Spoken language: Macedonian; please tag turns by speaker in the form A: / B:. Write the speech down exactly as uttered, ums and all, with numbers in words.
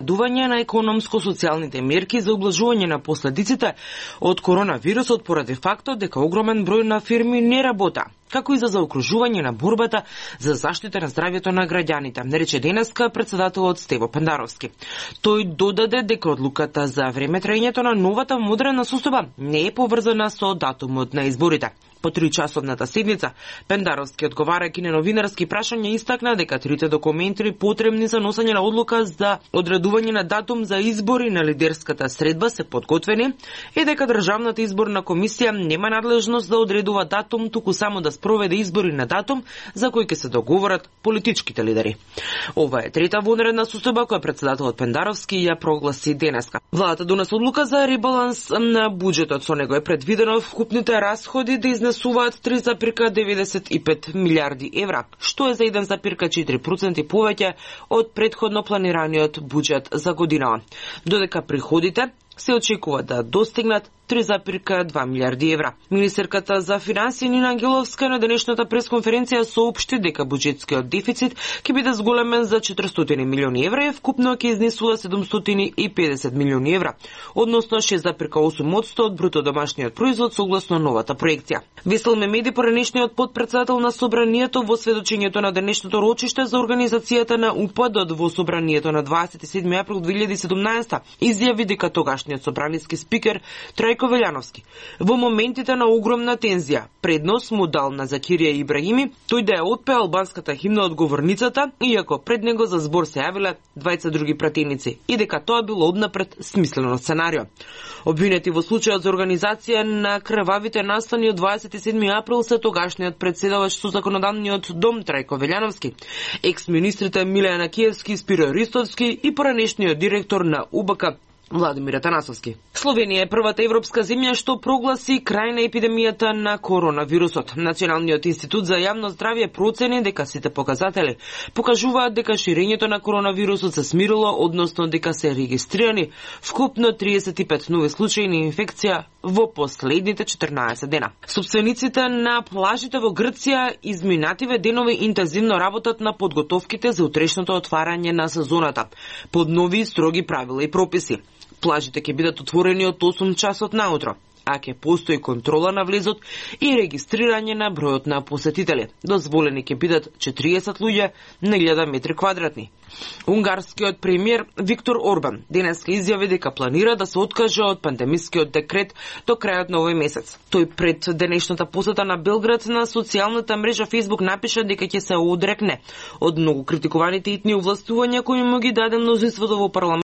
A: одредување на економско-социјалните мерки за облажување на последиците од коронавирусот поради фактот дека огромен број на фирми не работа, како и за заокружување на борбата за заштита на здравјето на граѓаните, рече денеска председателот Стево Пендаровски. Тој додаде дека одлуката за време траењето на новата модерна состојба не е поврзана со датумот на изборите. По тричасовната седница, Пендаровски, одговарајќи на новинарски прашања, истакна дека трите документи потребни за носење на одлука за одредување на датум за избори на лидерската средба се подготвени и дека Државната изборна комисија нема надлежност да одредува датум, туку само да спроведе избори на датум за кој ќе се договорат политичките лидери. Ова е трета вонредна состојба која председателот Пендаровски ја прогласи денеска. Владата донесе одлука за ребаланс на буџетот. Со него е предвидено вкупните расходи да изнесуваат три запирка деветдесет и пет милиарди евра, што е за еден запирка четири проценти повеќе од претходно планираниот буџет за годинава. Додека приходите се очекува да достигнат три запирка две милиарди евра. Министерката за финансии Нина Ангеловска на денешната пресконференција соопшти дека буџетскиот дефицит ќе биде зголемен за четиристотини милиони евра и вкупно ќе изнесува седумстотини и педесет милиони евра, односно шест запирка осум одсто од бруто домашниот производ согласно новата проекција. Весел Мемеди, поранешниот потпредседател на Собранието, во сведочењето на денешното рочиште за организацијата на упадот во Собранието на дваесет и седми април две илјади и седумнаесета, изјави дека тогашниот собраниски спикер Трајко Велјановски во моментите на огромна тензија предност му дал на Закирија Ибрахими тој да ја отпее албанската химна од говорницата, иако пред него за збор се јавиле двајца други пратеници и дека тоа било однапред смислено сценарио. Обвинети во случајот за организација на крвавите настани од дваесет и седми април се тогашниот председавач со законодавниот дом Трајко Велјановски, екс-министрите Милејана Киевски, Спиро Ристовски и поранешниот директор на У Б К Владимир Атанасовски. Словенија е првата европска земја што прогласи крај на епидемијата на коронавирусот. Националниот институт за јавно здравје процени дека сите показатели покажуваат дека ширењето на коронавирусот се смирило, односно дека се регистрирани вкупно триесет и пет нови случаи на инфекција во последните четрнаесет дена. Собствениците на плажите во Грција изминативе денови интензивно работат на подготовките за утрешното отварање на сезоната под нови строги правила и прописи. Плажите ќе бидат отворени од осум часот наутро, а ќе постои контрола на влезот и регистрирање на бројот на посетители. Дозволени ќе бидат четириесет луѓе на илјада метри квадратни. Унгарскиот премиер Виктор Орбан денеска изјави дека планира да се откаже од пандемискиот декрет до крајот на овој месец. Тој пред денешната посета на Белград на социјалната мрежа Facebook напиша дека ќе се одрекне од многу критикуваните итни овластувања кои му ги даде мнозинството во парламент